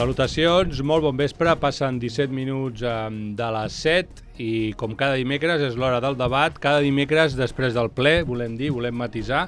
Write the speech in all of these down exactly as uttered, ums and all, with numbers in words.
Salutacions, molt bon vespre, passen disset minuts de les set i com cada dimecres és l'hora del debat, cada dimecres després del ple, volem dir, volem matisar,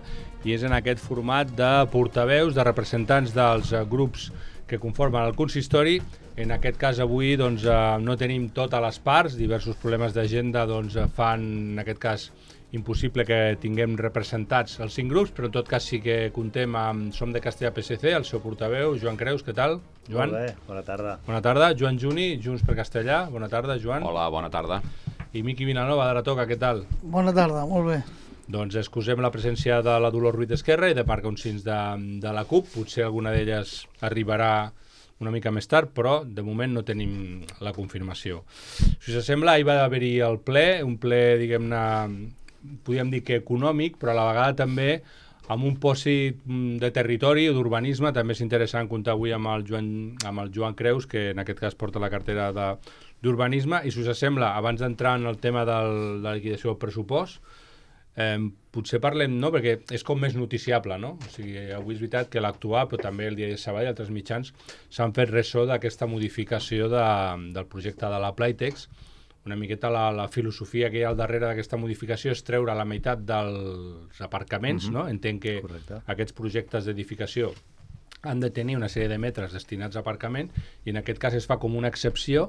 i és en aquest format de portaveus, de representants dels grups que conformen el consistori. En aquest cas avui doncs, no tenim totes les parts, diversos problemes d'agenda doncs, fan en aquest cas impossible que tinguem representats els cinc grups, però en tot cas sí que contem amb Som de Castellà P S C, el seu portaveu, Joan Creus, què tal? Joan? Molt bé, bona tarda. Bona tarda. Joan Juni, Junts per Castellà, bona tarda, Joan. Hola, bona tarda. I Miqui Vilanova, de la Toca, què tal? Bona tarda, molt bé. Doncs excusem la presència de la Dolors Ruiz d'Esquerra i de Marc Onsins de, de la CUP, potser alguna d'elles arribarà una mica més tard, però de moment no tenim la confirmació. Si us sembla, ahir va haver-hi el ple, un ple, diguem-ne, podríem dir que econòmic, però a la vegada també amb un pòsit de territori o d'urbanisme. També és interessant comptar avui amb el Joan, amb el Joan Creus, que en aquest cas porta la cartera d'urbanisme. I si us sembla, abans d'entrar en el tema del, de la liquidació del pressupost, eh, potser parlem, no?, perquè és com més noticiable, no? O sigui, avui és veritat que l'actual, però també el Diari de Sabadell i altres mitjans s'han fet ressò d'aquesta modificació de, del projecte de la Playtex. Una miqueta la, la filosofia que hi ha al darrere d'aquesta modificació és treure la meitat dels aparcaments, mm-hmm. no? Entenc que Correcte. Aquests projectes d'edificació han de tenir una sèrie de metres destinats a aparcament i en aquest cas es fa com una excepció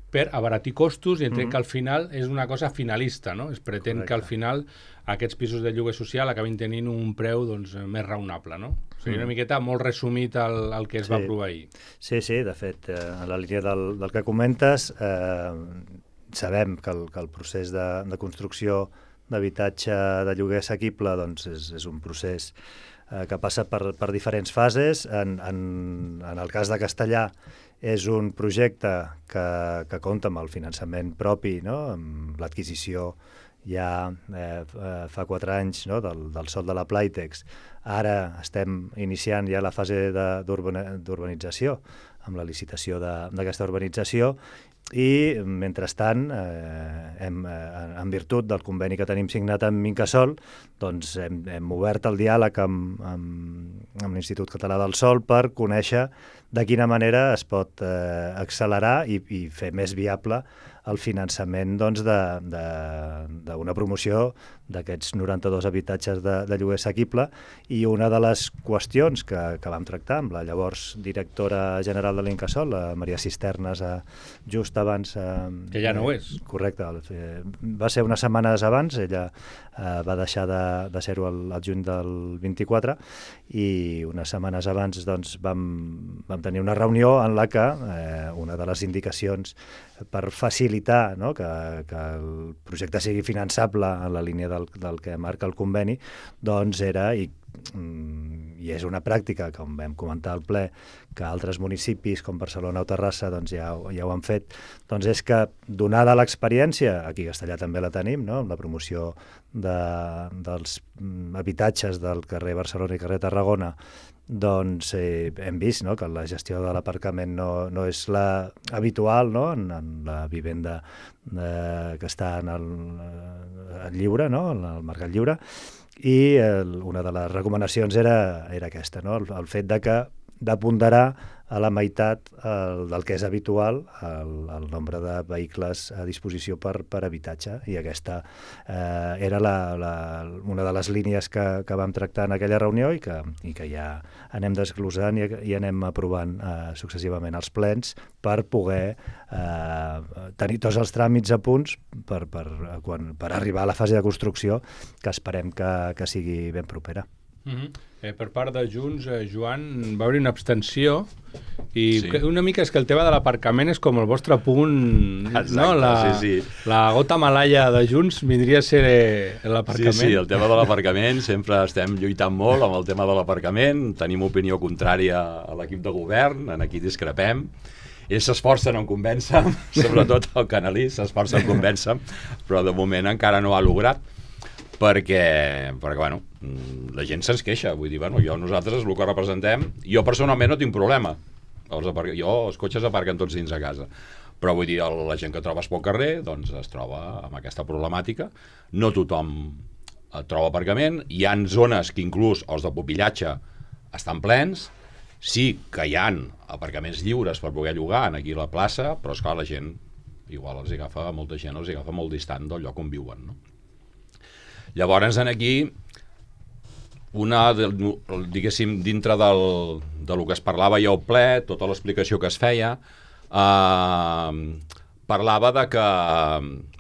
per abaratir costos i entenc mm-hmm. que al final és una cosa finalista, no? Es pretén Correcte. Que al final aquests pisos de lloguer social acabin tenint un preu doncs, més raonable, no? O sigui, una miqueta molt resumit el, el que es sí. va aprovar ahir. Sí, sí, de fet, eh, en la línia del, del que comentes, eh, sabem que el, que el procés de, de construcció d'habitatge de lloguer assequible doncs, és, és un procés eh, que passa per, per diferents fases. En, en, en el cas de Castellà és un projecte que, que compta amb el finançament propi, no? Amb l'adquisició ja eh, fa quatre anys, no? del, del sòl de la Playtex. Ara estem iniciant ja la fase d'urbanització, amb la licitació d'aquesta urbanització, i mentrestant, eh, hem, eh, en virtut del conveni que tenim signat amb Incasòl, doncs hem, hem obert el diàleg amb, amb, amb l'Institut Català del Sòl per conèixer de quina manera es pot eh, accelerar i, i fer més viable el finançament doncs, d'una promoció d'aquests noranta-dos habitatges de, de lloguer assequible. I una de les qüestions que, que vam tractar amb la llavors directora general de l'Incasòl, la Maria Cisternes, eh, just abans... Eh, que ja no ho és. Correcte. Eh, va ser unes setmanes abans, ella eh, va deixar de, de ser-ho al, al juny del vint-i-quatre, i unes setmanes abans doncs, vam, vam tenir una reunió en la que eh, una de les indicacions per facilitar, no?, que, que el projecte sigui finançable en la línia del, del que marca el conveni, doncs era, i, i és una pràctica, com vam comentar al ple, que altres municipis com Barcelona o Terrassa doncs ja, ja ho han fet, doncs és que, donada l'experiència, aquí a Castellà també la tenim, no?, amb la promoció de, dels habitatges del carrer Barcelona i carrer Tarragona, doncs eh, hem vist, no?, que la gestió de l'aparcament no, no és la habitual, no?, en, en la vivenda eh, que està en el, el lliure, no?, en el mercat lliure, i el, una de les recomanacions era, era aquesta, no?, el, el fet de que de ponderar a la meitat el, del que és habitual el, el nombre de vehicles a disposició per, per habitatge, i aquesta eh, era la, la, una de les línies que, que vam tractar en aquella reunió i que, i que ja anem desglosant i, i anem aprovant eh, successivament els plens per poder eh, tenir tots els tràmits a punts per, per, quan, per arribar a la fase de construcció, que esperem que, que sigui ben propera. Mm-hmm. eh, per part de Junts, eh, Joan, va haver una abstenció i sí. Una mica és que el tema de l'aparcament és com el vostre punt. Exacte, no? La, sí, sí. La gota malaia de Junts vindria a ser l'aparcament. Sí, sí, el tema de l'aparcament, sempre estem lluitant molt amb el tema de l'aparcament, tenim opinió contrària a l'equip de govern, en aquí discrepem. Ells s'esforcen en convèncer, sobretot el Canalí s'esforça en convèncer, però de moment encara no ha lograt, perquè, perquè bueno, la gent se'ns queixa, vull dir, bueno, jo, nosaltres, el que representem, jo personalment no tinc problema, els aparc... jo, els cotxes aparquen tots dins a casa, però vull dir, la gent que trobes pel carrer, doncs es troba amb aquesta problemàtica, no tothom troba aparcament, hi ha zones que inclús els de pupillatge estan plens, Sí que hi ha aparcaments lliures per poder llogar aquí a la plaça, però esclar, la gent igual els agafa, molta gent els agafa molt distant del lloc on viuen, no? Llavors, en aquí, una, diguéssim, dintre del, del que es parlava ja al ple, tota l'explicació que es feia, eh, parlava de que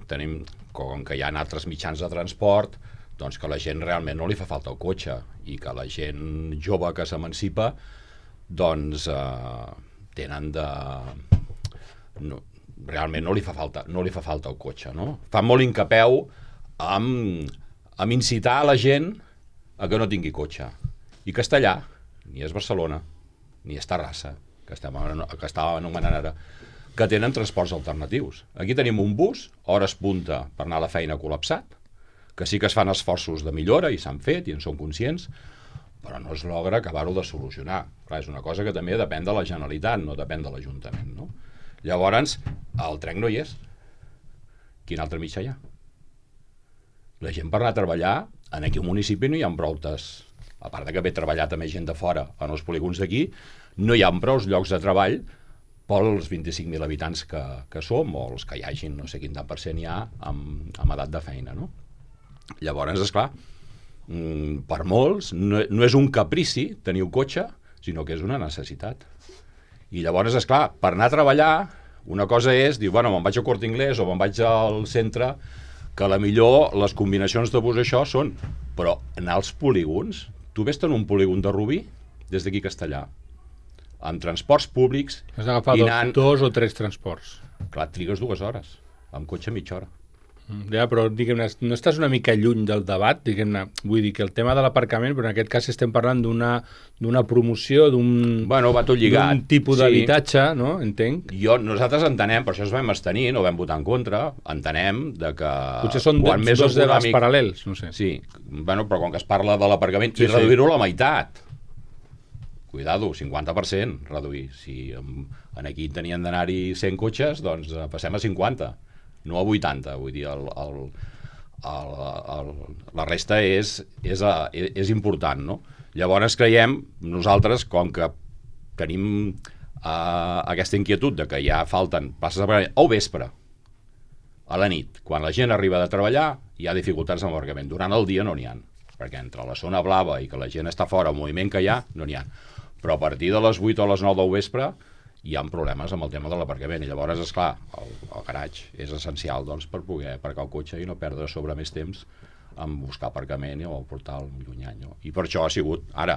tenim, com que hi ha altres mitjans de transport, doncs que a la gent realment no li fa falta el cotxe i que la gent jove que s'emancipa doncs eh, tenen de... No, realment no li fa falta, no li fa falta el cotxe, no? Fa molt incapeu amb, amb incitar a la gent a que no tingui cotxe. I Castellà, ni és Barcelona, ni és Terrassa, que estem, que estava anomenant ara, que tenen transports alternatius. Aquí tenim un bus, hores punta per anar a la feina col·lapsat, que sí que es fan esforços de millora i s'han fet i en som conscients, però no es logra acabar-ho de solucionar. Clar, és una cosa que també depèn de la Generalitat, no depèn de l'Ajuntament, no? Llavors, el tren no hi és. Quin altre mitjà hi ha? La gent per anar a treballar, en aquí al municipi no hi ha proutes, a part de que ve treballar també gent de fora en els polígons d'aquí, no hi ha prou llocs de treball pels vint-i-cinc mil habitants que, que som, o els que hi hagin, no sé quin tant per cent hi ha amb, amb edat de feina, no? Llavors, esclar, per molts, no, no és un caprici tenir un cotxe, sinó que és una necessitat. I llavors, esclar, per anar a treballar, una cosa és dir, bueno, me'n vaig a Corte Inglés o me'n vaig al centre, que a la millor les combinacions de bus això són, però anar als polígons, tu vés en un polígon de Rubí, des d'aquí a Castellà, amb transports públics... Has d'agafar anant... dos, dos o tres transports. Clar, trigues dues hores, amb cotxe mitja hora. Ja, però diguem-ne, no estàs una mica lluny del debat, diguem-ne, vull dir que el tema de l'aparcament, però en aquest cas estem parlant d'una d'una promoció, d'un bueno, va tot lligat. d'un tipus Sí. d'habitatge, no? Entenc. Jo, nosaltres entenem, per això es vam abstenir, no vam votar en contra, entenem de que... Potser són quan més dos debats econòmic- paral·lels, no sé. Sí, bueno, però com que es parla de l'aparcament, Sí, i sí. reduir-ho a la meitat. Cuidado, cinquanta per cent reduir. Si en, en aquí tenien d'anar-hi cent cotxes, doncs eh, passem a cinquanta, no a vuitanta, vull dir, el, el, el, el, la resta és, és, a, és important, no? Llavors creiem, nosaltres, com que tenim eh, aquesta inquietud de que ja falten places d'aparcament al vespre, a la nit, quan la gent arriba de treballar, hi ha dificultats amb l'aparcament. Durant el dia no n'hi ha, perquè entre la zona blava i que la gent està fora, el moviment que hi ha, no n'hi ha. Però a partir de les vuit o les nou del vespre hi ha problemes amb el tema de l'aparcament. I llavors, esclar, el, el garatge és essencial doncs, per poder aparcar el cotxe i no perdre sobre més temps en buscar aparcament o portar el llunyany. No? I per això ha sigut, ara,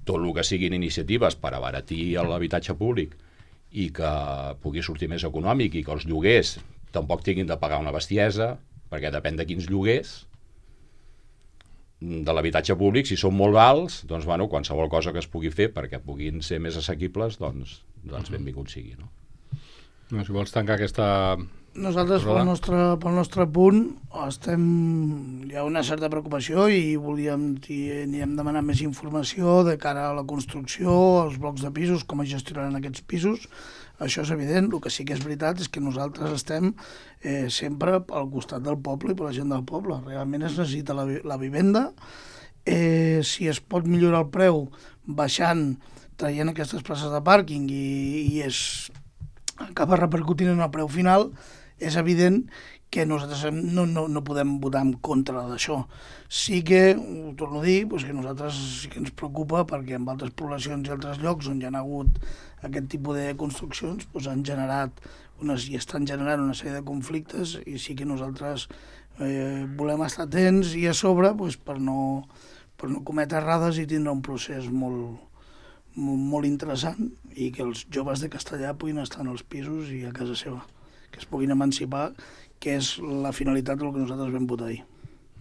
tot el que siguin iniciatives per abaratir l'habitatge públic i que pugui sortir més econòmic i que els lloguers tampoc tinguin de pagar una bestiesa, perquè depèn de quins lloguers de l'habitatge públic, si són molt alts, doncs, bueno, qualsevol cosa que es pugui fer perquè puguin ser més assequibles, doncs, doncs benvingut sigui, no? No, si vols tancar aquesta... Nosaltres, pel nostre, pel nostre punt, estem, hi ha una certa preocupació i volíem, anirem demanant més informació de cara a la construcció, als blocs de pisos, com es gestionaran aquests pisos. Això és evident. El que sí que és veritat és que nosaltres estem eh, sempre al costat del poble i per la gent del poble. Realment es necessita la, la vivenda. Eh, si es pot millorar el preu baixant, traient aquestes places de pàrquing i, i es acaba repercutint en el preu final, és evident que nosaltres no, no, no podem votar en contra d'això. Sí que, ho torno a dir, doncs que nosaltres sí que ens preocupa perquè en altres poblacions i altres llocs on hi ha hagut aquest tipus de construccions doncs han generat unes, i estan generant una sèrie de conflictes i sí que nosaltres eh, volem estar atents i a sobre doncs, per, no, per no cometre errades i tindre un procés molt, molt, molt interessant i que els joves de Castellà puguin estar en els pisos i a casa seva, que es puguin emancipar, que és la finalitat del que nosaltres vam votar ahir.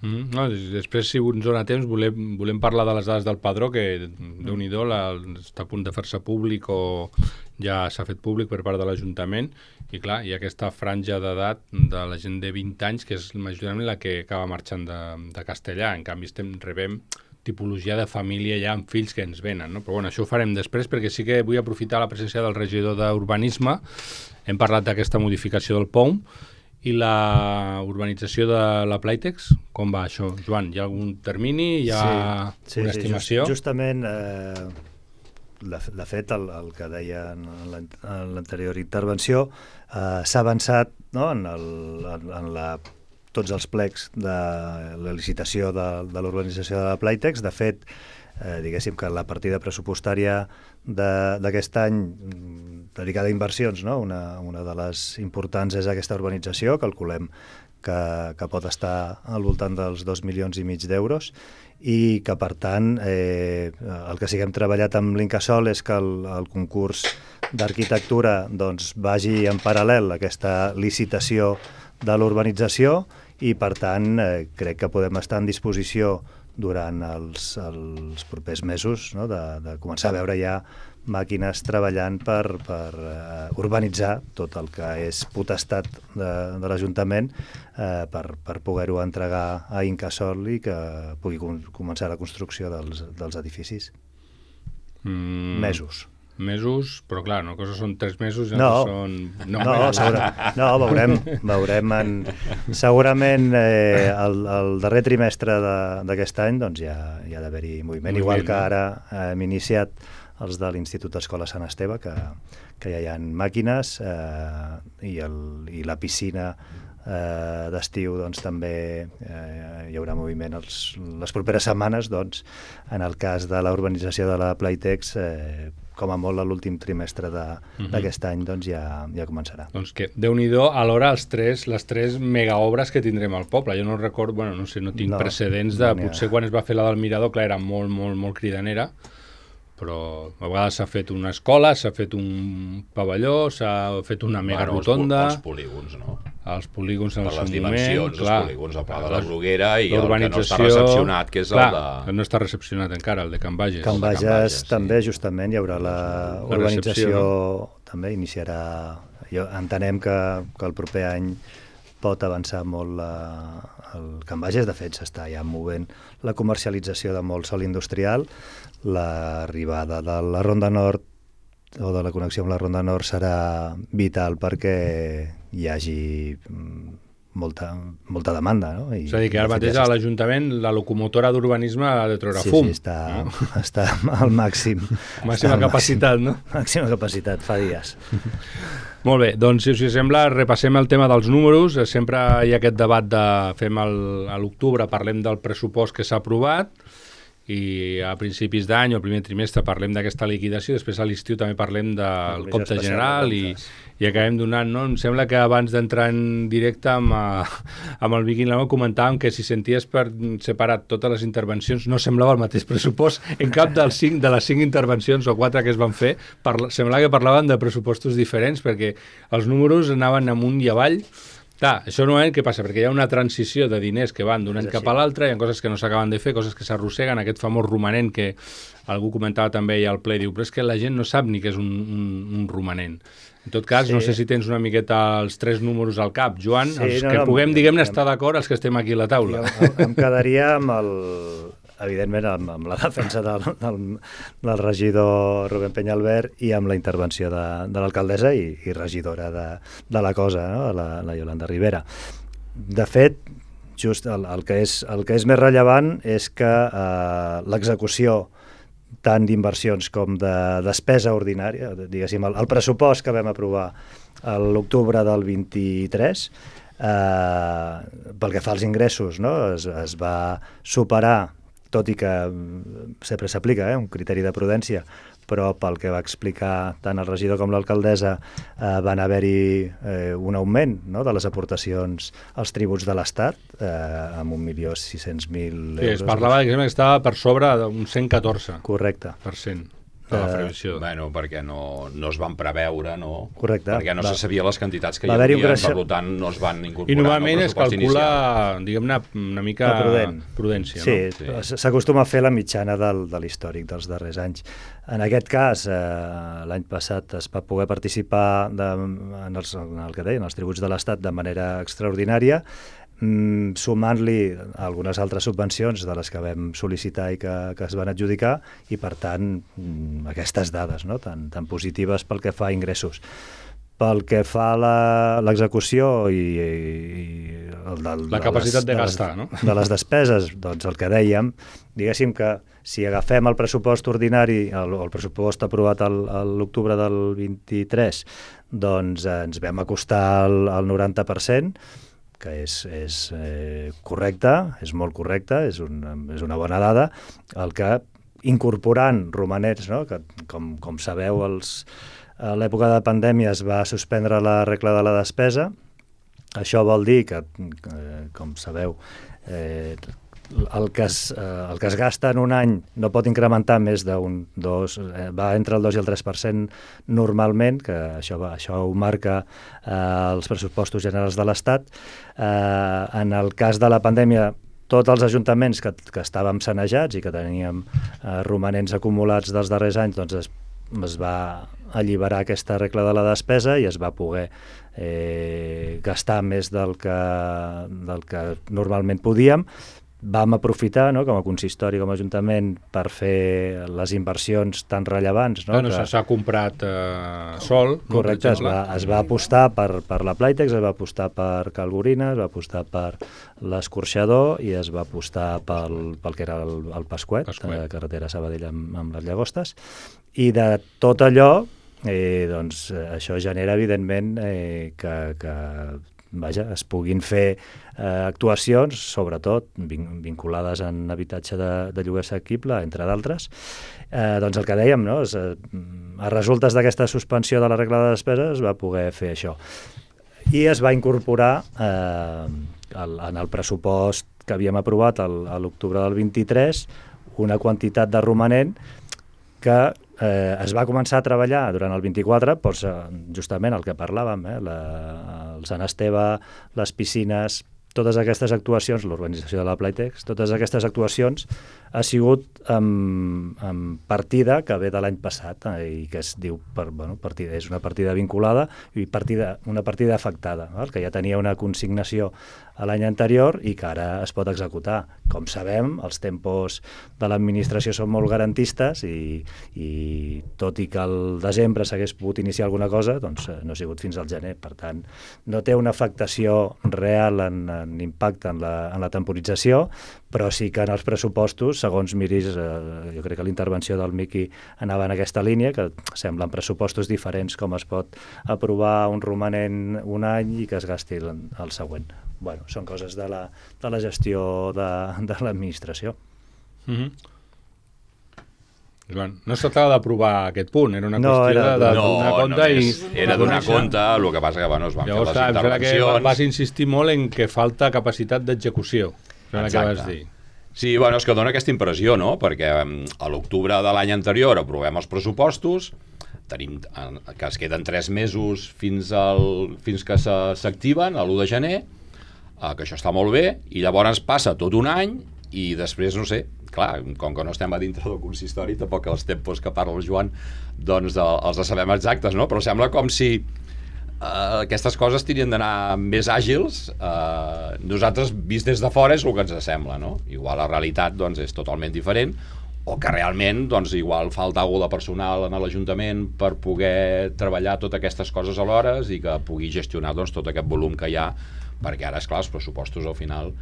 Mm, no, després, si ens dona temps, volem, volem parlar de les dades del Padró, que Déu-n'hi-do, la, està a punt de fer-se públic o ja s'ha fet públic per part de l'Ajuntament, i clar, hi ha aquesta franja d'edat de la gent de vint anys, que és majoritàriament la que acaba marxant de, de Castellà. En canvi, estem rebem tipologia de família ja amb fills que ens venen, no? Però bueno, això ho farem després, perquè sí que vull aprofitar la presència del regidor d'Urbanisme. Hem parlat d'aquesta modificació del P O M i la urbanització de la Playtex. Com va això, Joan? Hi ha algun termini? Hi ha sí, sí, una estimació? Sí, just, justament eh, de, de fet, el, el que deia en l'anterior intervenció, eh, s'ha avançat, no?, en, el, en, en la, tots els plecs de la licitació de, de l'urbanització de la Playtex. De fet, eh, diguéssim que la partida pressupostària d'aquest any dedicada a inversions, no?, una, una de les importants és aquesta urbanització, calculem que, que pot estar al voltant dels dos milions i mig d'euros, i que, per tant, eh, el que sí que hem treballat amb l'Incasòl és que el, el concurs d'arquitectura doncs, vagi en paral·lel a aquesta licitació de l'urbanització, i, per tant, eh, crec que podem estar en disposició durant els, els propers mesos, no?, de, de començar a veure ja màquines treballant per, per uh, urbanitzar tot el que és potestat de, de l'Ajuntament, uh, per, per poder-ho entregar a Incasòl i que pugui com, començar la construcció dels, dels edificis. Mm. Mesos. Mesos, però clar, una cosa són tres mesos i no, són... No, no, segura, no veurem, veurem en, segurament eh, el, el darrer trimestre d'aquest any doncs ja hi ha d'haver-hi moviment, moviment, igual que ara eh, hem iniciat els de l'Institut d'Escola Sant Esteve, que, que ja hi ha màquines, eh, i, el, i la piscina eh, d'estiu doncs, també eh, hi haurà moviment els, les properes setmanes. Doncs, en el cas de la urbanització de la Playtex, eh, com a molt a l'últim trimestre d'aquest any, doncs ja, ja començarà. Doncs que, Déu-n'hi-do, alhora els tres, les tres megaobres que tindrem al poble. Jo no recordo, bueno, no sé, no tinc no, precedents de... No potser quan es va fer la del Mirador, clar, era molt, molt, molt cridanera, però a vegades s'ha fet una escola, s'ha fet un pavelló, s'ha fet una mega bueno, rotonda... Els polígons, no? Els polígons en el seu moment... Per les dimensions, clar, els polígons, el Pla de la Bruguera i el que no està recepcionat, que és clar, el de... no està recepcionat encara, el de Can Bages. Can Bages, Can Bages també, sí. Justament, hi haurà la, la urbanització, no? També iniciarà... Jo, entenem que, que el proper any pot avançar molt la, el Can Bages. De fet, s'està ja movent la comercialització de molt sòl industrial. L'arribada de la Ronda Nord o de la connexió amb la Ronda Nord serà vital perquè hi hagi molta, molta demanda, no? I, és a dir, que ara mateix a l'Ajuntament la locomotora d'urbanisme ha de treure sí, fum. Sí, està, no? està al màxim. Màxima capacitat, màxim, no? Màxima capacitat, fa dies. Molt bé, doncs si us sembla repassem el tema dels números. Sempre hi ha aquest debat de fem el, a l'octubre, parlem del pressupost que s'ha aprovat, i a principis d'any o primer trimestre parlem d'aquesta liquidació, després a l'estiu també parlem del compte general i, i acabem donant, no? Em sembla que abans d'entrar en directe amb, amb el Vicky Lama comentàvem que si senties per separat totes les intervencions no semblava el mateix pressupost en cap dels cinc, de les cinc intervencions o quatre que es van fer, parla, semblava que parlaven de pressupostos diferents perquè els números anaven amunt i avall. Clar, això normalment què passa? Perquè hi ha una transició de diners que van d'un any cap a l'altre, hi ha coses que no s'acaben de fer, coses que s'arrosseguen, aquest famós romanent que algú comentava també ja al ple, diu, però és que la gent no sap ni què és un, un, un romanent. En tot cas, sí. No sé si tens una miqueta els tres números al cap, Joan, sí, els no, que no, puguem, diguem-ne, estar d'acord els que estem aquí a la taula. Jo, em quedaria amb el... evidentment amb, amb la defensa del, del, del regidor Rubén Peñalver i amb la intervenció de, de l'alcaldessa i, i regidora de, de la cosa, no? la, la Yolanda Rivera. De fet, just el, el, que és, el que és més rellevant és que eh, l'execució tant d'inversions com de despesa ordinària, diguéssim, el, el pressupost que vam aprovar a l'octubre del vint-i-tres, eh, pel que fa als ingressos, no? es, es va superar, tot i que sempre s'aplica eh, un criteri de prudència, però pel que va explicar tant el regidor com l'alcaldessa eh, van haver-hi eh, un augment, no?, de les aportacions als tributs de l'Estat eh, amb un milió sis-cents mil euros. Sí, es parlava que estava per sobre d'un cent catorze Correcte. Per cent. De la previsió. Uh, bueno, perquè no, no es van preveure, no? Correcte. Perquè no va. se sabia les quantitats que va hi havia, creixer... per tant no es van incorporar. I normalment es calcula, diguem-ne, una mica prudent. prudència, sí, no? Sí, s'acostuma a fer la mitjana del, de l'històric dels darrers anys. En aquest cas, eh, l'any passat es va poder participar de, en, els, en el que deien, els tributs de l'Estat de manera extraordinària, Mm, sumant-li algunes altres subvencions de les que vam sol·licitar i que, que es van adjudicar, i per tant mm, aquestes dades, no?, tan, tan positives pel que fa a ingressos. Pel que fa a l'execució i, i el del, la capacitat de, de, les, gastar, no? de les despeses, doncs el que dèiem, diguéssim que si agafem el pressupost ordinari, el, el pressupost aprovat a l'octubre del vint-i-tres, doncs eh, ens vam acostar al, al noranta per cent, que és, és eh, correcte, és molt correcte, és, un, és una bona dada, el que incorporant romanents, no? Que com, com sabeu, els, a l'època de pandèmia es va suspendre la regla de la despesa. Això vol dir que, eh, com sabeu, eh, el, que es, eh, el que es gasta en un any no pot incrementar més d'un dos, eh, va entre el dos i el tres per cent normalment, que això, va, això ho marca eh, els pressupostos generals de l'Estat. Eh, en el cas de la pandèmia, tots els ajuntaments que, que estàvem sanejats i que teníem eh, romanents acumulats dels darrers anys, doncs es, es va alliberar aquesta regla de la despesa i es va poder eh, gastar més del que, del que normalment podíem. Vam aprofitar, no, com a consistori, com a ajuntament, per fer les inversions tan rellevants. No, bueno, que... S'ha comprat eh, sol. Correcte, no, es, va, es va apostar per, per la Playtex, es va apostar per Calgorina, es va apostar per l'escorxador i es va apostar pel, pel que era el, el Pasquet, Pasquet. Eh, carretera Sabadell amb, amb les Llagostes. I de tot allò, eh, doncs, això genera, evidentment, eh, que... que vaja, es puguin fer eh, actuacions, sobretot vin vinculades en habitatge de, de lloguer assequible, entre d'altres. Eh, doncs el que dèiem, no? Es, eh, a resultes d'aquesta suspensió de la regla de despesa es va poder fer això. I es va incorporar eh, el, en el pressupost que havíem aprovat el, a l'octubre del vint-i-tres una quantitat de romanent que eh, es va començar a treballar durant el vint-i-quatre, doncs, justament el que parlàvem, eh, la, el Sant Esteve, les piscines, totes aquestes actuacions, l'organització de la Playtex, totes aquestes actuacions ha sigut amb, amb partida que ve de l'any passat eh, i que es diu, per, bueno, partida, és una partida vinculada i partida, una partida afectada, val? Que ja tenia una consignació a l'any anterior i que ara es pot executar. Com sabem, els tempos de l'administració són molt garantistes i, i tot i que al desembre s'hagués pogut iniciar alguna cosa, doncs no ha sigut fins al gener. Per tant, no té una afectació real en, en impacte en la, en la temporització, però sí que en els pressupostos, segons miris, eh, jo crec que l'intervenció del Miqui anava en aquesta línia, que semblen pressupostos diferents com es pot aprovar un romanent un any i que es gasti el, el següent. Bueno, són coses de la, de la gestió de, de l'administració. Mm-hmm. Joan, no es tractava d'aprovar aquest punt, era una no, qüestió era, de, de no, donar compte. Només I era donar compte, el que passa que bueno, es van llavors, fer les intervencions. Que vas insistir molt en que falta capacitat d'execució, que vas dir. Sí, bueno, és que dona aquesta impressió, no? Perquè a l'octubre de l'any anterior aprovem els pressupostos, tenim que es queden tres mesos fins, al, fins que s'activen, a l'u de gener, eh, que això està molt bé, i llavors passa tot un any i després, no sé, clar, com que no estem a dintre del consistori, tampoc els tempos que parla el Joan, doncs els sabem exactes, no? Però sembla com si Uh, aquestes coses tenien d'anar més àgils. Uh, nosaltres, vist des de fora, és el que ens sembla, no? Igual la realitat doncs, és totalment diferent, o que realment doncs, igual falta alguna de personal en l'Ajuntament per poder treballar totes aquestes coses alhora i que pugui gestionar doncs, tot aquest volum que hi ha, perquè ara, esclar, els pressupostos al final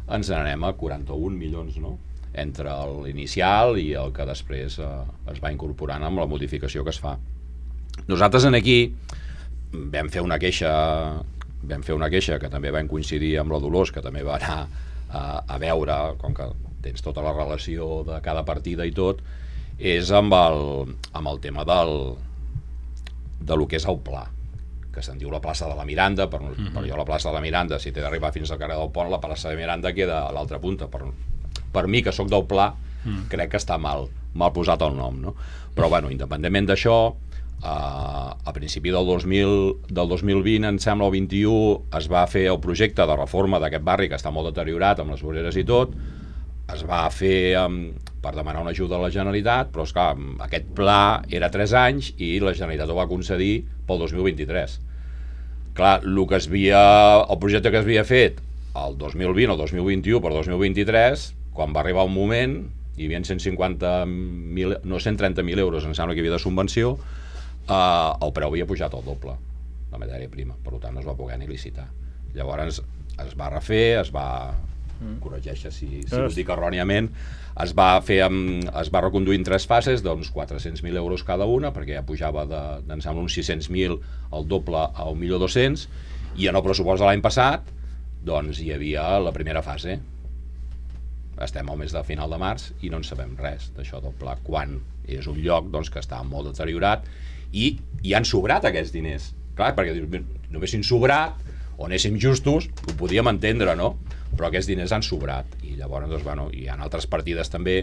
ens n'anem a quaranta-un milions, no? Entre l'inicial i el que després uh, es va incorporant amb la modificació que es fa. Nosaltres en aquí vam fer una queixa vam fer una queixa que també vam coincidir amb la Dolors, que també va anar a, a veure, com que tens tota la relació de cada partida i tot, és amb el, amb el tema del de lo que és el pla, que se'n diu la plaça de la Miranda. Per, mm-hmm. per jo la plaça de la Miranda, si té d'arribar fins al carrer del Pont, la plaça de Miranda queda a l'altra punta. Per, per mi, que sóc del pla, mm. crec que està mal mal posat el nom, no? Però bueno, independentment d'això, Uh, a principi del dos mil, del dos mil vint, em sembla, el vint-i-u, es va fer el projecte de reforma d'aquest barri, que està molt deteriorat amb les voreres i tot. Es va fer um, per demanar una ajuda a la Generalitat, però esclar, aquest pla era tres anys i la Generalitat ho va concedir pel dos mil vint-i-tres. Clar, el, que es havia, el projecte que es havia fet el dos mil vint o dos mil vint-i-u per dos mil vint-i-tres, quan va arribar un moment, hi havia cent cinquanta mil, no, cent trenta mil euros, em sembla que hi havia de subvenció. Uh, el preu havia pujat al doble. la matèria prima, per tant no es va poder ni licitar. Llavors es va refer, es va... Mm. corregeixa si, si ho dic erròniament, es va fer amb, es va reconduir en tres fases d'uns quatre-cents mil euros cada una, perquè ja pujava de, d'en sembla uns sis-cents mil al doble a un milió dos-cents, i en el pressupost de l'any passat doncs hi havia la primera fase. Estem al mes de final de març i no en sabem res d'això del pla, quan és un lloc doncs, que està molt deteriorat i hi han sobrat aquests diners. Clar, perquè no haguessin sobrat o anéssim justos, ho podíem entendre, no? Però aquests diners han sobrat i llavors doncs, bueno, hi ha altres partides també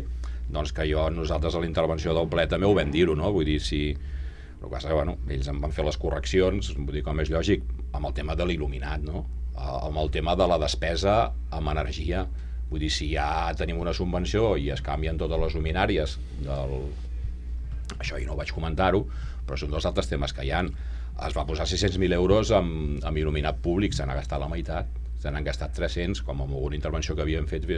doncs, que jo, nosaltres a la intervenció del ple també ho vam dir-ho, no? Vull dir, si... El que passa que, bueno, ells en van fer les correccions, vull dir, com és lògic, amb el tema de l'il·luminat, no? Amb el tema de la despesa amb energia. Vull dir, si ja tenim una subvenció i es canvien totes les luminàries del... Això jo no ho vaig comentar-ho, però són dos altres temes que hi ha. Es va posar sis-cents mil euros amb, amb il·luminat públic, se n'ha gastat la meitat, se n'han gastat tres-cents, com amb alguna intervenció que havíem fet.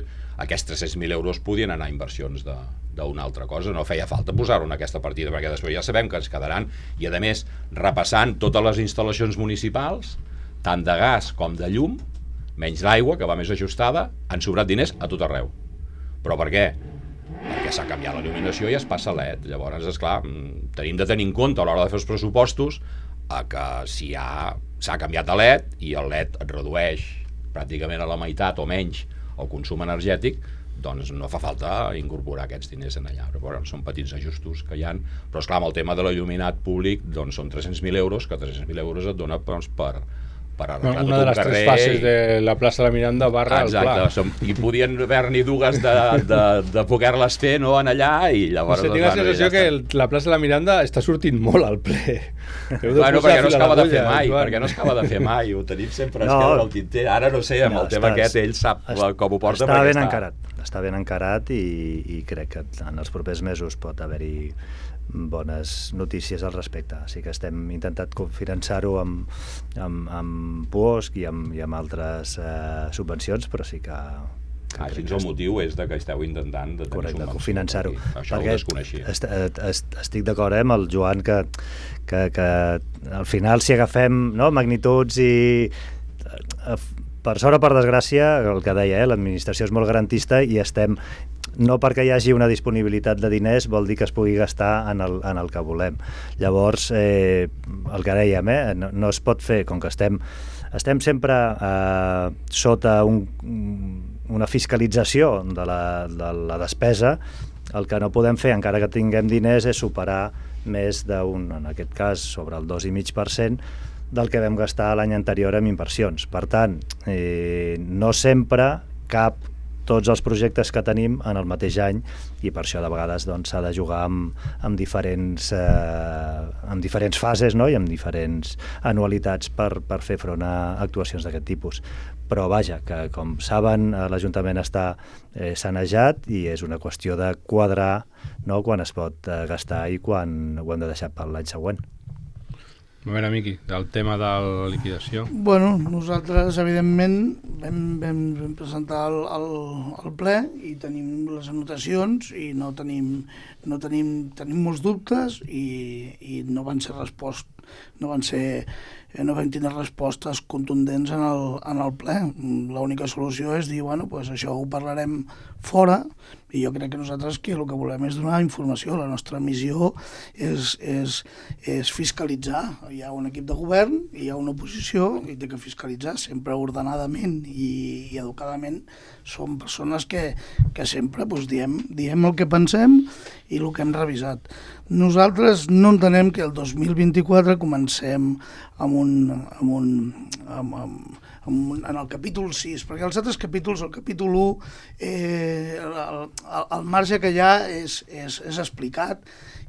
Aquests tres-cents mil euros podien anar a inversions d'una altra cosa, no feia falta posar-ho en aquesta partida, perquè després ja sabem que ens quedaran, i a més, repassant totes les instal·lacions municipals, tant de gas com de llum, menys l'aigua, que va més ajustada, han sobrat diners a tot arreu. Però per què? Perquè s'ha canviat la il·luminació i es passa a L E D. Llavors, esclar, tenim de tenir en compte a l'hora de fer els pressupostos a que si ha, s'ha canviat a L E D i el L E D et redueix pràcticament a la meitat o menys el consum energètic, doncs no fa falta incorporar aquests diners en allà. Però, bueno, són petits ajustos que hi ha, però esclar, amb el tema de l'il·luminat públic doncs són tres-cents mil euros, que tres-cents mil euros et dona doncs, per, per arreglar una tot de les un carrer. Tres fases de la plaça de la Miranda barra Exacte, el pla. som, i podien haver-n'hi dues de, de, de poder-les fer, no, en allà, i llavors... No sé, tinc la sensació que el, la plaça de la Miranda està sortint molt al ple. Bueno, perquè no es acaba de fer mai, perquè no es acaba de fer mai, ho tenim sempre a esquerra del tinter. Ara no sé, amb el tema aquest, ell sap com ho porta. Està ben encarat, està ben encarat i, i crec que en els propers mesos pot haver-hi bones notícies al respecte. Així que estem intentant cofinançar-ho amb, amb, amb P O S C i amb, i amb altres eh, subvencions, però sí que... que ah, així el motiu és de que esteu intentant de tenir correcte, subvencions. Cofinançar-ho. Això ho desconeixia. Est, est, est, estic d'acord eh, amb el Joan que, que, que al final si agafem no, magnituds i... Eh, per sort o per desgràcia, el que deia, eh, l'administració és molt garantista i estem... No perquè hi hagi una disponibilitat de diners vol dir que es pugui gastar en el, en el que volem. Llavors, eh, el que dèiem, eh, no, no es pot fer, com que estem, estem sempre eh, sota un, una fiscalització de la, de la despesa, el que no podem fer, encara que tinguem diners, és superar més d'un, en aquest cas, sobre el dos coma cinc per cent del que vam gastar l'any anterior en inversions. Per tant, eh, no sempre cap tots els projectes que tenim en el mateix any i per això de vegades doncs, s'ha de jugar amb, amb, diferents, eh, amb diferents fases no? I amb diferents anualitats per, per fer front a actuacions d'aquest tipus. Però vaja, que com saben l'Ajuntament està eh, sanejat i és una qüestió de quadrar no? Quan es pot eh, gastar i quan ho hem de deixar per l'any següent. A veure, Miqui, del tema de la liquidació. Bueno, nosaltres, evidentment, vam, vam, vam presentar el, el, el ple i tenim les anotacions i no tenim, no tenim, tenim molts dubtes i, i no van ser respost, no van ser, no vam tenir respostes contundents en el, en el ple. L'única solució és dir, bueno, pues això ho parlarem fora i jo crec que nosaltres que el que volem és donar informació. La nostra missió és, és, és fiscalitzar. Hi ha un equip de govern, hi ha una oposició i té que fiscalitzar sempre ordenadament i, i educadament. Som persones que, que sempre doncs, diem, diem el que pensem i el que hem revisat. Nosaltres no entenem que el dos mil vint-i-quatre comencem amb un, amb un, amb, amb, amb, en el capítol sis, perquè els altres capítols, el capítol u, eh, el, el, el marge que hi ha és, és, és explicat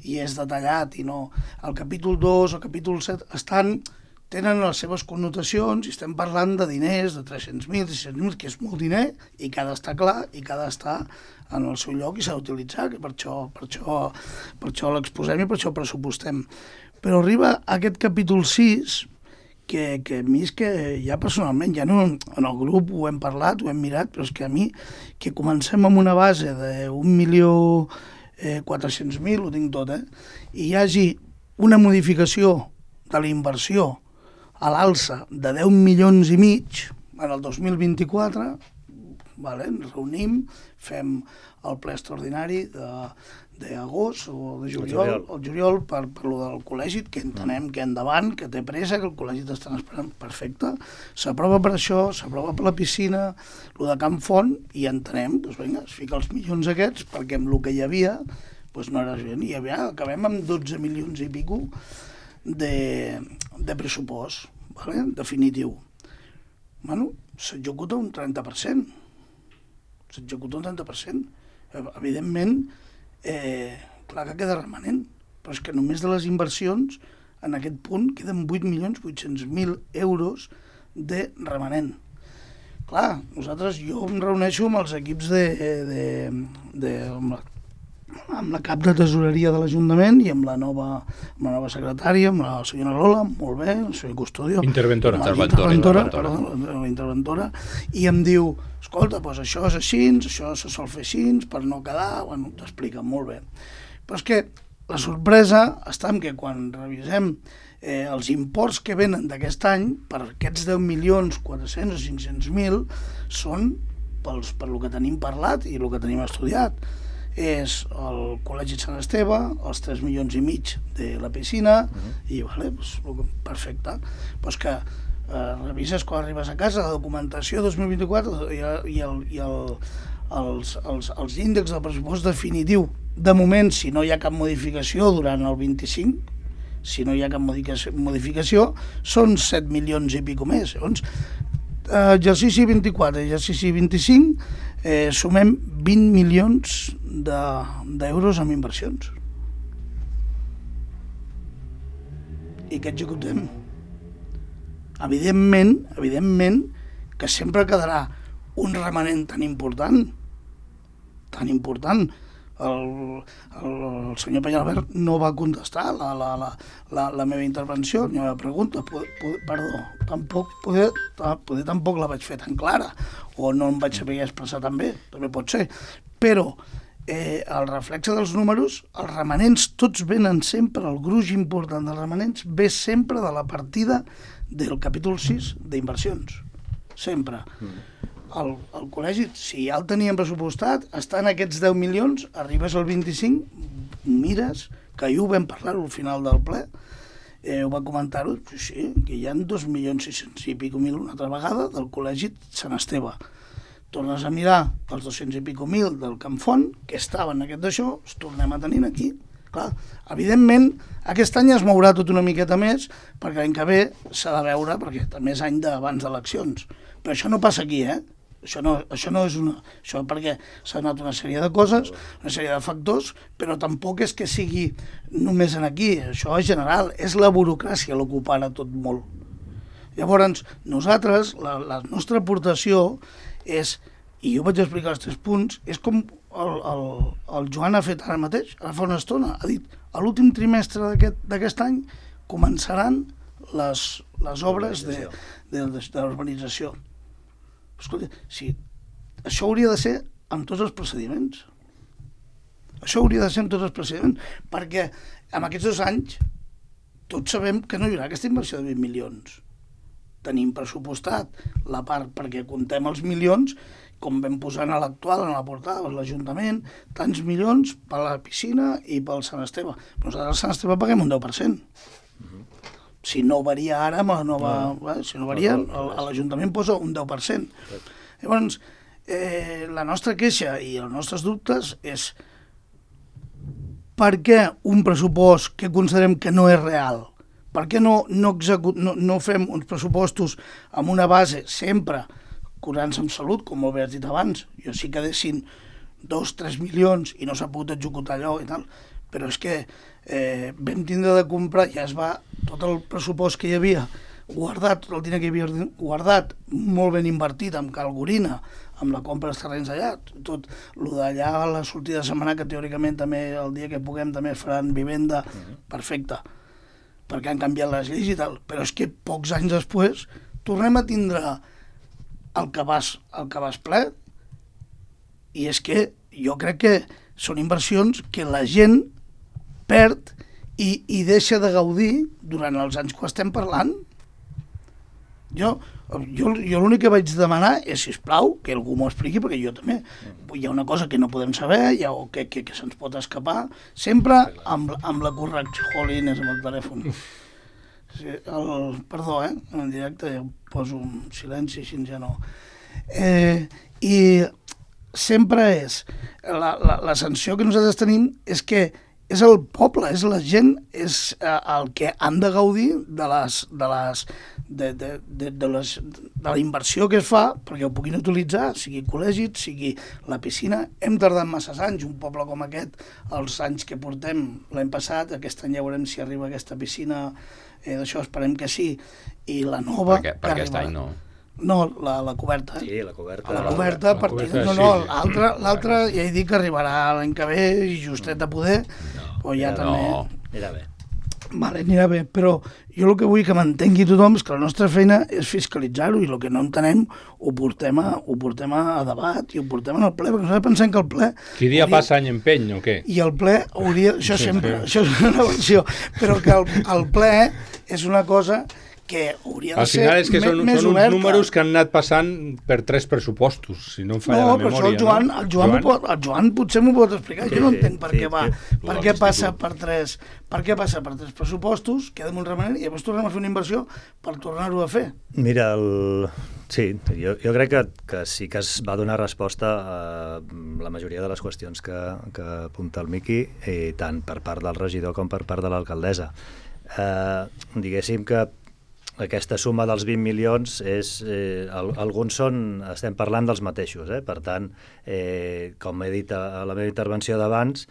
i és detallat, i no. El capítol dos, el capítol set, estan, tenen les seves connotacions i estem parlant de diners, de tres-cents mil, sis-cents mil, que és molt diner i que ha d'estar clar i que ha d'estar en el seu lloc i s'ha d'utilitzar, que per això, per això, per això l'exposem i per això pressupostem. Però arriba aquest capítol sis, que, que a mi és que ja personalment, ja no en el grup ho hem parlat, ho hem mirat, però és que a mi, que comencem amb una base d'un milió quatre-cents mil, ho tinc tot, eh? I hi hagi una modificació de la inversió a l'alça de deu milions i mig en el dos mil vint-i-quatre, vale? Ens reunim, fem el ple extraordinari d'agost o de juliol, el juliol, juliol per, per lo del col·legi, que entenem que endavant, que té pressa, que el col·legi t'estan esperant, perfecte. S'aprova per això, s'aprova per la piscina, lo de Can Font, i entenem, doncs vinga, es fica els milions aquests, perquè amb el que hi havia, doncs no era gent, i ja acabem amb dotze milions i pico de, de pressupost, vale? Definitiu. Bueno, s'executa un trenta per cent. S'executa un trenta per cent. Evidentment, eh, clar que queda remanent, però és que només de les inversions, en aquest punt, queden vuit milions vuit-cents mil euros de remanent. Clar, nosaltres, jo em reuneixo amb els equips de... de, de amb, la, amb la cap de tesoreria de l'Ajuntament i amb la nova, amb la nova secretària, amb la senyora Lola, molt bé, el senyor Custodio. Interventora. Interventora, interventora, perdó, la interventora, i em diu, escolta, doncs això és així, això se sol fer així, per no quedar, bueno, t'explica molt bé. Però és que la sorpresa està en que quan revisem eh, els imports que venen d'aquest any, per aquests deu milions quatre-cents o cinc-cents mil, són pels, per el que tenim parlat i el que tenim estudiat. És el Col·legi Sant Esteve, els tres milions i mig de la piscina, uh-huh. i vale, pues, perfecte. Pues que eh, revises quan arribes a casa la documentació dos mil vint-i-quatre i, i, el, i el, els, els, els índexs del pressupost definitiu. De moment, si no hi ha cap modificació durant el vint-i-cinc, si no hi ha cap modificació, són set milions i pico més. Llavors, exercici vint-i-quatre, exercici vint-i-cinc, eh, sumem vint milions d'euros en inversions. I què executem? Evidentment, evidentment que sempre quedarà un remanent tan important, tan important. El, el, el senyor Peñalbert no va contestar la, la, la, la, la meva intervenció, ni la meva pregunta. Poder, poder, perdó, tampoc, poder, poder tampoc la vaig fer tan clara, o no em vaig saber expressar tan bé, també pot ser. Però eh, el reflexe dels números, els remanents tots venen sempre, el gruix important dels remanents ve sempre de la partida del capítol sis d'inversions. Sempre. Mm. El, el col·legi, si ja el teníem pressupostat, està en aquests deu milions, arribes al vint-i-cinc, mires, que ahir ho vam parlar al final del ple, eh, ho va comentar-ho, sí, que hi ha dos milions sis-cents i pico mil una altra vegada del col·legi Sant Esteve. Tornes a mirar els dos-cents i pico mil del Can Font, que estaven en aquest d'això, els tornem a tenir aquí. Clar, evidentment, aquest any es mourà tot una miqueta més, perquè l'any que ve s'ha de veure, perquè també és any d'abans d'eleccions. Però això no passa aquí, eh? Això no, això no és una... Això perquè s'ha donat una sèrie de coses, una sèrie de factors, però tampoc és que sigui només en aquí. Això és general, és la burocràcia el que ho para tot molt. Llavors, nosaltres, la, la nostra aportació és, i jo vaig explicar els tres punts, és com el, el, el Joan ha fet ara mateix, ara fa una estona, ha dit, a l'últim trimestre d'aquest any començaran les, les obres de, de, de, de l'urbanització. Escolta, sí, això hauria de ser amb tots els procediments. Això hauria de ser amb tots els procediments, perquè en aquests dos anys tots sabem que no hi haurà aquesta inversió de vint milions. Tenim pressupostat la part perquè contem els milions, com vam posar a l'actual, en la portada, a l'Ajuntament, tants milions per a la piscina i pel Sant Esteve. Però nosaltres al Sant Esteve paguem un deu per cent. Si no varia ara amb la nova... No. Eh, si no varia, l'Ajuntament posa un deu per cent. Llavors, eh, la nostra queixa i els nostres dubtes és per què un pressupost que considerem que no és real? Per què no, no, execut, no, no fem uns pressupostos amb una base sempre curant-se amb salut, com molt bé has dit abans? Jo sí que dessin dos, tres milions i no s'ha pogut executar allò i tal, però és que eh, vam tindre de comprar, ja es va, tot el pressupost que hi havia guardat, tot el diner que hi havia guardat, molt ben invertit amb Calgorina, amb la compra dels terrenys allà, tot el d'allà a la sortida de setmana, que teòricament també el dia que puguem també faran vivenda, perfecte, perquè han canviat les lleis i tal, però és que pocs anys després tornem a tindre el cabàs, el cabàs ple, i és que jo crec que són inversions que la gent perd i, i deixa de gaudir durant els anys que estem parlant. Jo, jo, jo l'únic que vaig demanar és, sisplau, que algú m'ho expliqui, perquè jo també. Hi ha una cosa que no podem saber, hi ha, o que, que, que se'ns pot escapar, sempre amb, amb la correcció. Jolines, amb el telèfon. Sí, el, perdó, eh? En directe ja poso un silenci, així ja no. Eh, I sempre és, la, la, la sanció que nosaltres tenim és que és el poble, és la gent, és eh, el que han de gaudir de les, de les, de, de, de, de, les, de la inversió que es fa perquè ho puguin utilitzar, sigui col·legis, sigui la piscina. Hem tardat massa anys, un poble com aquest, els anys que portem l'any passat, aquest any ja veurem si arriba aquesta piscina, eh, d'això esperem que sí, i la nova... Per, per aquest any no. No, la, la coberta. Sí, la coberta. La coberta, la per coberta no, sí, no, sí. l'altra, l'altra ja he dit que arribarà l'any que ve i justet a poder, no, però ja no. també... Anirà bé. Vale, anirà bé, però jo el que vull que m'entengui tothom és que la nostra feina és fiscalitzar-ho i el que no entenem ho portem a, ho portem a debat i ho portem al ple, perquè nosaltres pensem que el ple... Qui dia hauria... passa any empeny, o què? I el ple hauria... Això Sí, sempre, sí. això és una versió, però que el, el ple és una cosa que hauria de Al final és que ser són, més són uns oberta. números que han anat passant per tres pressupostos, si no em falla No, la però memòria. això el Joan, no? el, Joan Joan? M'ho pot, el Joan potser m'ho pot explicar. Sí, Jo no sí, entenc per sí, què va, sí. per Lo què de passa l'institut. per tres, per què passa per tres pressupostos, queda molt remanent i llavors tornem a fer una inversió per tornar-ho a fer. Mira, el... sí, jo, jo crec que, que sí que es va donar resposta a la majoria de les qüestions que, que apunta el Miqui, i tant per part del regidor com per part de l'alcaldessa. Eh, diguéssim que aquesta suma dels vint milions és, eh, al, alguns són, estem parlant dels mateixos, eh? Per tant, eh, com he dit a, a la meva intervenció d'abans,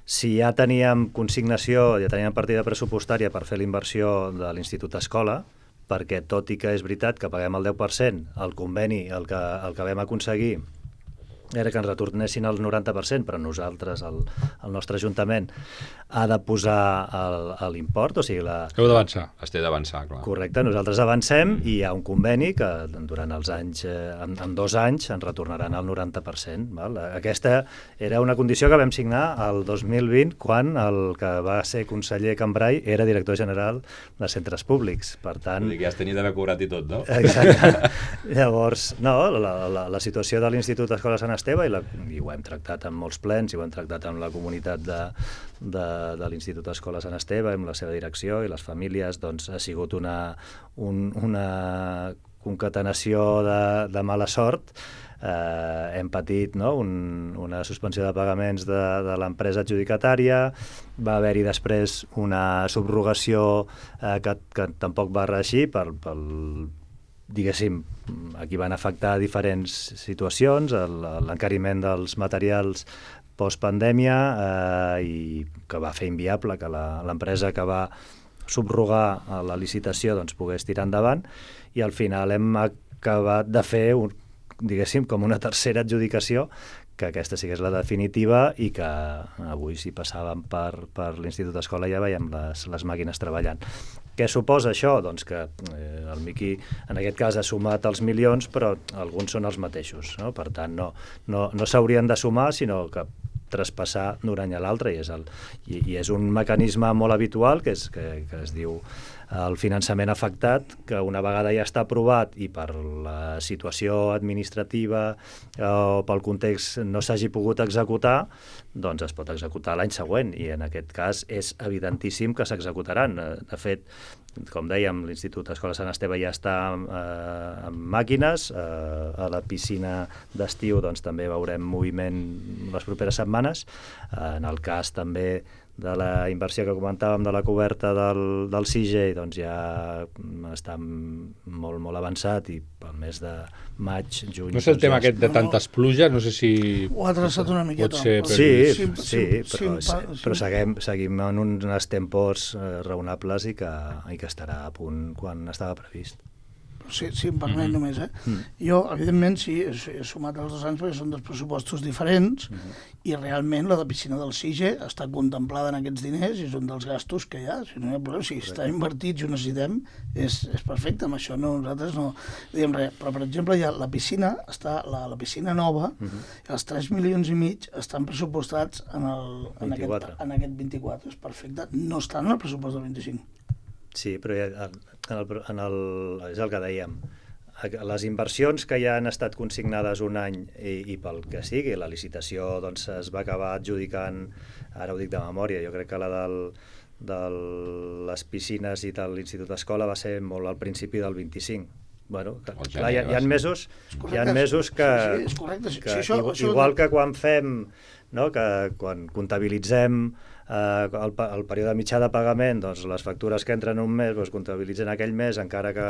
si ja teníem consignació, ja teníem partida pressupostària per fer la inversió de l'Institut Escola, perquè tot i que és veritat que paguem el deu per cent, el conveni, el que, el que vam aconseguir era que ens retornessin el noranta per cent, però nosaltres, el, el nostre Ajuntament, ha de posar l'import, o sigui... La... Heu d'avançar. Es té d'avançar, clar. Correcte, nosaltres avancem i hi ha un conveni que durant els anys, eh, en, en dos anys, ens retornaran el noranta per cent. Val? Aquesta era una condició que vam signar el dos mil vint, quan el que va ser conseller Cambrai era director general de centres públics. Per tant... Vull dir que ja es tenia d'haver cobrat i tot, no? Exacte. Llavors, no, la, la, la situació de l'Institut Escola Sant Esteve, i, la, i ho hem tractat en molts plens, i ho hem tractat amb la comunitat de, de, de l'Institut Escola Sant Esteve, amb la seva direcció i les famílies, doncs ha sigut una, un, una concatenació de, de mala sort. Eh, hem patit, no, un, una suspensió de pagaments de, de l'empresa adjudicatària, va haver-hi després una subrogació eh, que, que tampoc va reeixir per, pel diguéssim, aquí van afectar diferents situacions, l'encariment dels materials postpandèmia, eh, i que va fer inviable que l'empresa que va subrogar la licitació doncs, pogués tirar endavant, i al final hem acabat de fer, un, diguéssim, com una tercera adjudicació, que aquesta sí que és la definitiva, i que avui, si passàvem per, per l'Institut Escola, ja veiem les, les màquines treballant. Què suposa això? Doncs que eh, el Miqui en aquest cas ha sumat els milions, però alguns són els mateixos, no? Per tant, no, no, no s'haurien de sumar, sinó que traspassar d'un any a l'altre, i, és el, i, i és un mecanisme molt habitual que, és, que, que es diu el finançament afectat, que una vegada ja està aprovat i per la situació administrativa o pel context no s'hagi pogut executar, doncs es pot executar l'any següent, i en aquest cas és evidentíssim que s'executaran. De fet, com dèiem, l'Institut Escola Sant Esteve ja està eh, amb màquines, eh, a la piscina d'estiu doncs, també veurem moviment les properes setmanes. Eh, en el cas també de la inversió que comentàvem de la coberta del, del C I G E, doncs ja està molt, molt avançat, i pel mes de maig, juny... No és el doncs tema ja aquest de tantes pluges, no sé si... Ho ha traçat una miqueta. Pot ser per... Sí, Sí, sí, sí, però, sí, però sí. seguim, seguim en uns tempos eh, raonables, i que, i que estarà a punt quan estava previst. Si, si em permet mm-hmm. només, eh? Mm. Jo, evidentment, sí, he, he sumat els dos anys perquè són dos pressupostos diferents, mm-hmm. i realment la de piscina del C I G E està contemplada en aquests diners i és un dels gastos que hi ha. Si no hi ha problema, si està invertit i ho necessitem, és, és perfecte. Amb això no, nosaltres no diem res. Però, per exemple, ja la piscina, està, la, la piscina nova, mm-hmm. els tres milions i mig estan pressupostats en, el, en, aquest, en aquest vint-i-quatre. És perfecte. No estan en el pressupost del vint-i-cinc. Sí, però ja, en el, en el, és el que dèiem. Les inversions que ja han estat consignades un any i, i pel que sigui, la licitació doncs, es va acabar adjudicant, ara ho dic de memòria, jo crec que la del, de les piscines i de l'Institut d'Escola va ser molt al principi del vint-i-cinc. Bueno, que, clar, hi, ha, hi ha mesos, hi ha mesos que, sí, és correcte. que sí, això, igual, això... igual que quan fem, no, que quan comptabilitzem eh, el, el període mitjà de pagament, doncs les factures que entren un mes doncs, comptabilitzen aquell mes, encara que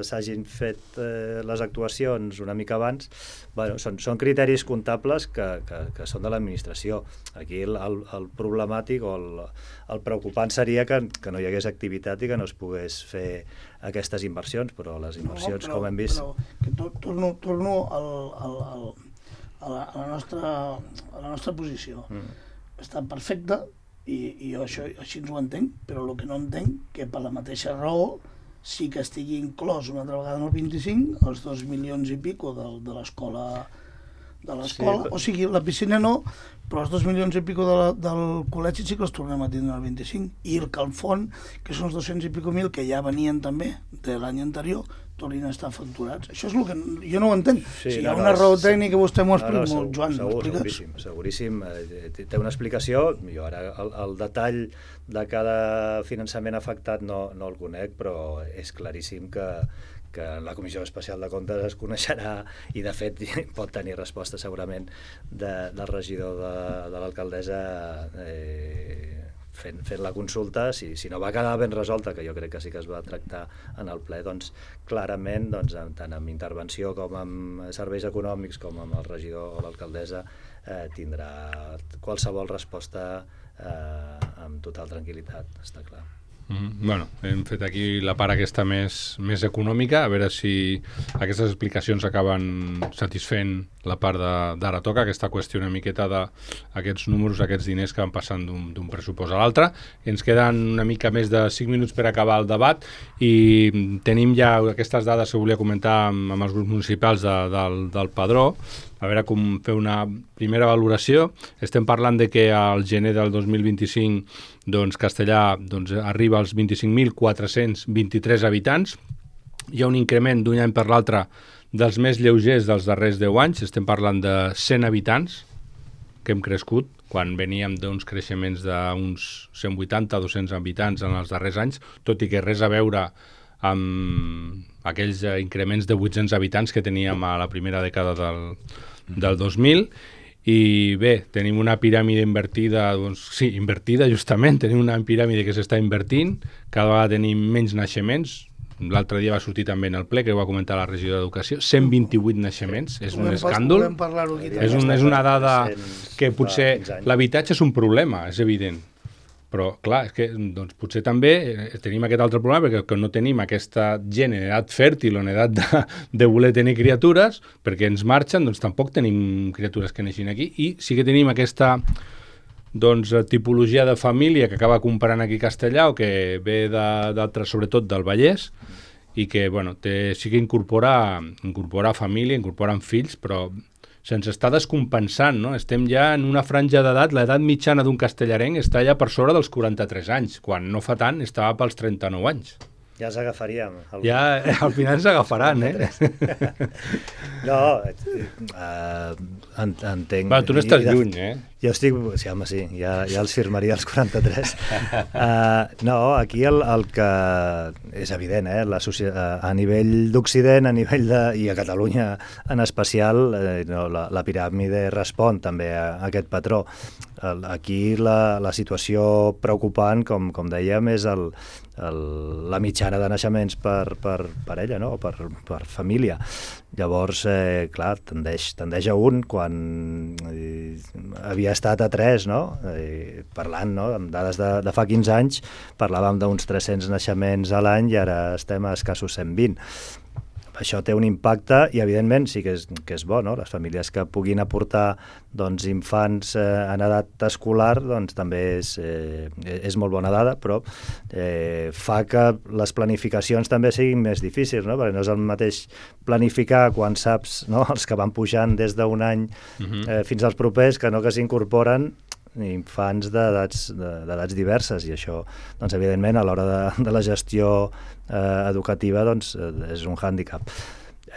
s'hagin fet eh, les actuacions una mica abans. Bueno, són, són criteris comptables que, que, que són de l'administració. Aquí el, el, el problemàtic o el, el preocupant seria que, que no hi hagués activitat i que no es pogués fer aquestes inversions, però les inversions, no, però, com hem vist... Però que to, torno, torno al, al, al, a, la, a, la nostra, a la nostra posició. Mm. Està perfecte i, i jo això, així ens ho entenc, però el que no entenc que per la mateixa raó sí que estigui inclòs una altra vegada en el vint-i-cinc els dos milions i pico de, de l'escola de l'escola, sí, però... o sigui, la piscina no, però els dos milions i pico de la, del col·legi sí que els tornem a tindre al vint-i-cinc, i el Calfon, que són els dos-cents i pico mil que ja venien també de l'any anterior, tornin a estar facturats. Això és el que jo no ho entenc. Sí, si hi no, ha una no, raó és... tècnica, vostè m'ho explica no, no, molt, Joan. Segur, seguríssim, seguríssim. Eh, té una explicació. Jo ara el, el detall de cada finançament afectat no, no el conec, però és claríssim que que en la Comissió Especial de Comptes es coneixerà i, de fet, pot tenir resposta segurament de, del regidor de, de l'alcaldessa eh, fent, fent la consulta. Si, si no va quedar ben resolta, que jo crec que sí que es va tractar en el ple, doncs clarament, doncs, tant amb intervenció com amb serveis econòmics com amb el regidor o l'alcaldessa eh, tindrà qualsevol resposta eh, amb total tranquil·litat, està clar. Mm, bueno, hem fet aquí la part aquesta més, més econòmica, a veure si aquestes explicacions acaben satisfent la part d'ara toca, aquesta qüestió una miqueta d'aquests números, aquests diners que van passant d'un pressupost a l'altre. Ens queden una mica més de cinc minuts per acabar el debat i tenim ja aquestes dades que volia comentar amb, amb els grups municipals de, del, del Padró, a veure com fer una primera valoració. Estem parlant de que al gener del dos mil vint-i-cinc doncs, Castellà doncs, arriba als vint-i-cinc mil quatre-cents vint-i-tres habitants. Hi ha un increment d'un any per l'altre dels més lleugers dels darrers deu anys. Estem parlant de cent habitants que hem crescut, quan veníem d'uns creixements d'uns cent vuitanta a dos-cents habitants en els darrers anys, tot i que res a veure amb aquells increments de vuit-cents habitants que teníem a la primera dècada del, del dos mil. I bé, tenim una piràmide invertida, doncs sí, invertida justament, tenim una piràmide que s'està invertint, cada vegada tenim menys naixements. L'altre dia va sortir també en el ple, que ho va comentar la regidora d'Educació, cent vint-i-vuit naixements, és un escàndol, és, un, és una dada que potser l'habitatge és un problema, és evident, però clar, és que doncs, potser també tenim aquest altre problema perquè que no tenim aquesta gent en edat fèrtil o en edat de, de voler tenir criatures, perquè ens marxen, doncs tampoc tenim criatures que neixin aquí, i sí que tenim aquesta doncs, tipologia de família que acaba comprant aquí a Castellà o que ve d'altres, sobretot del Vallès, i que bueno, té, sí que incorpora, incorpora família, incorporen fills, però sense estar descompensant, no? Estem ja en una franja d'edat, l'edat mitjana d'un castellarenc està ja per sobre dels quaranta-tres anys, quan no fa tant estava pels trenta-nou anys. Ja ens agafaríem. El... Ja al final ens agafaran, eh? No, uh, entenc... Va, tu no estàs de... lluny, eh? Jo estic... Sí, home, sí, ja, ja els firmaria els quaranta-tres. Uh, no, aquí el, el que és evident, eh? La societat, a nivell d'Occident, a nivell de... i a Catalunya en especial, eh, no, la, la piràmide respon també a, a aquest patró. Aquí la, la situació preocupant, com, com dèiem, és el, el, la mitjana de naixements per, per parella, no? per, per família. Llavors, eh, clar, tendeix, tendeix a un quan eh, havia estat a tres, no? Eh, parlant, no? Amb dades de, de fa quinze anys, parlàvem d'uns tres-cents naixements a l'any i ara estem a escassos cent vint. Això té un impacte i, evidentment, sí que és, que és bo, no? Les famílies que puguin aportar doncs, infants eh, en edat escolar doncs, també és, eh, és molt bona dada, però eh, fa que les planificacions també siguin més difícils, no? Perquè no és el mateix planificar quan saps, no? Els que van pujant des d'un any eh, fins als propers, que no que s'incorporen infants d'edats d'edats diverses, i això, doncs, evidentment, a l'hora de, de la gestió eh, educativa, doncs, és un hàndicap.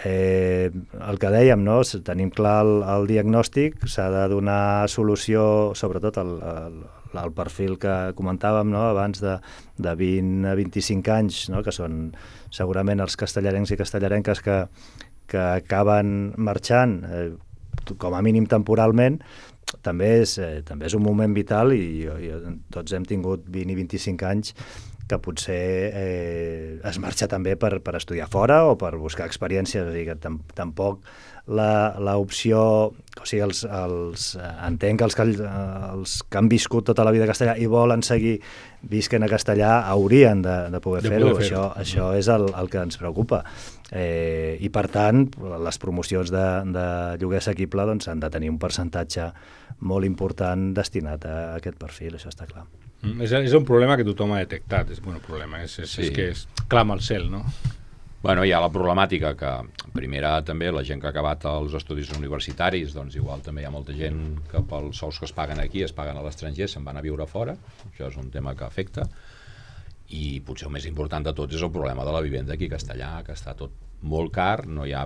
Eh, el que dèiem, no? Tenim clar el, el diagnòstic, s'ha de donar solució, sobretot al, al, al perfil que comentàvem, no? Abans de, de vint a vint-i-cinc anys, no? Que són segurament els castellarencs i castellarenques que, que acaben marxant, eh, com a mínim temporalment. També és, eh, també és un moment vital, i, i tots hem tingut vint i vint-i-cinc anys que potser eh, es marxa també per, per estudiar fora o per buscar experiències, o sigui que tam, tampoc l'opció, o sigui, els, els, entenc que els, que els que han viscut tota la vida a castellà i volen seguir visquen a castellà haurien de, de poder de fer-ho, fer això, això és el, el que ens preocupa. Eh, I per tant, les promocions de, de lloguer assequible doncs, han de tenir un percentatge molt important destinat a aquest perfil, això està clar. Mm, és, és un problema que tothom ha detectat, és bueno, problema, és, és, sí. és que es clama al cel, no? Bueno, hi ha la problemàtica que, primera, també la gent que ha acabat els estudis universitaris, doncs igual també hi ha molta gent que pels sous que es paguen aquí es paguen a l'estranger, se'n van a viure fora, això és un tema que afecta, i potser el més important de tot és el problema de la vivenda aquí a Castellà, que està tot molt car, no hi ha,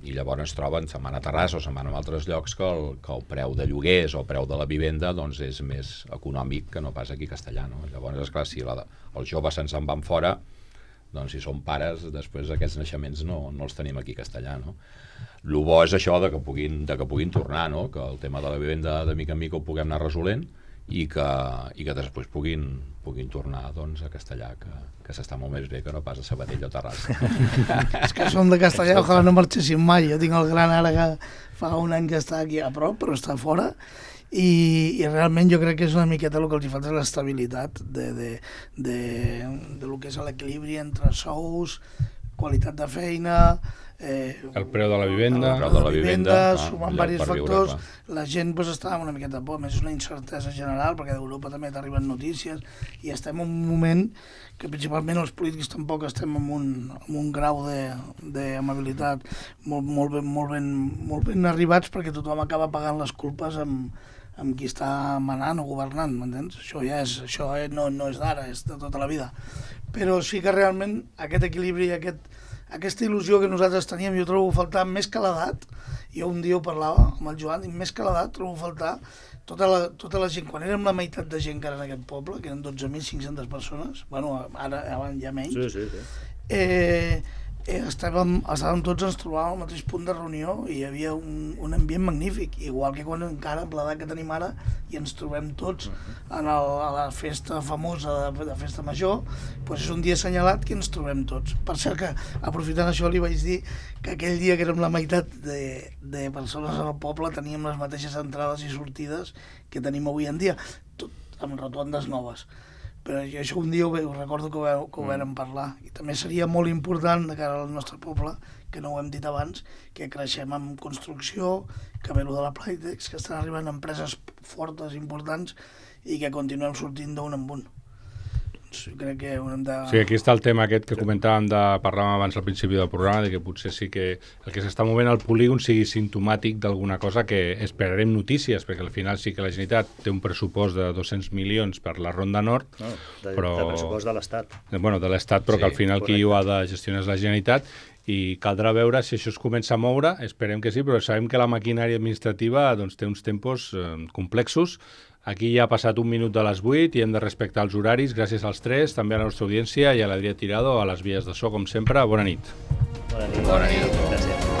i llavors es troben, se'n van a Terrassa o se'n van a altres llocs que el, que el preu de lloguers o el preu de la vivenda doncs és més econòmic que no pas aquí a Castellà, no? Llavors, esclar, si la, els joves se'n se'n van fora, doncs si som pares, després aquests naixements no, no els tenim aquí a Castellà, no? El bo és això de que puguin, de que puguin tornar, no? Que el tema de la vivenda de mica en mica ho puguem anar resolent i que, i que després puguin, puguin tornar doncs, a Castellà, que, que s'està molt més bé que no pas a Sabadell o Terrassa. És que som de Castellà, ojalà no marxéssim mai. Jo tinc el gran ara que fa un any que està aquí a prop, però està fora. I, i realment jo crec que és una miqueta el que els falta és l'estabilitat de, de, de, de lo que és l'equilibri entre sous, qualitat de feina, eh, el preu de la vivenda, el preu de la vivenda, ah, sumant diversos factors, viure, la gent pues, està amb una miqueta por, més és una incertesa general, perquè d'Europa també t'arriben notícies, i estem en un moment que principalment els polítics tampoc estem en un, en un grau d'amabilitat molt, molt, ben, molt, ben, molt ben arribats, perquè tothom acaba pagant les culpes amb amb qui està manant o governant, m'entens? Això ja és, això no, no és d'ara, és de tota la vida. Però sí que realment aquest equilibri, aquest, aquesta il·lusió que nosaltres teníem, jo trobo faltar més que l'edat. Jo un dia ho parlava amb el Joan, i més que l'edat trobo faltar tota la, tota la gent, quan érem la meitat de gent que era en aquest poble, que eren dotze mil cinc-centes persones, bueno, ara, ara ja menys, sí, sí, sí. Eh, Eh, estàvem, estàvem tots, ens trobàvem al mateix punt de reunió i hi havia un, un ambient magnífic, igual que quan encara amb l'edat que tenim ara i ens trobem tots en el, a la festa famosa de, de festa major, doncs és un dia assenyalat que ens trobem tots. Per cert que, aprofitant això, li vaig dir que aquell dia que érem la meitat de, de persones al poble teníem les mateixes entrades i sortides que tenim avui en dia, tot amb rotondes noves. Però jo això un dia ho, ho recordo que ho, que ho vam parlar, i també seria molt important de cara al nostre poble, que no ho hem dit abans, que creixem en construcció, que ve lo de la Playtex, que estan arribant empreses fortes, importants, i que continuem sortint d'un en un. Doncs jo crec que hem de... Sí, aquí està el tema aquest que comentàvem, de, parlàvem abans al principi del programa, de que potser sí que el que s'està movent al polígon sigui simptomàtic d'alguna cosa que esperarem notícies, perquè al final sí que la Generalitat té un pressupost de dos-cents milions per la Ronda Nord, no, de, però... de pressupost de l'Estat. Bueno, de l'Estat, però sí, que al final correcte. Qui ho ha de gestionar és la Generalitat, i caldrà veure si això es comença a moure, esperem que sí, però sabem que la maquinària administrativa doncs, té uns tempos eh, complexos. Aquí ja ha passat un minut de les vuit i hem de respectar els horaris. Gràcies als tres, també a la nostra audiència i a l'Adrià Tirado, a les vies de so, com sempre. Bona nit. Bona nit. Bona nit. Gràcies.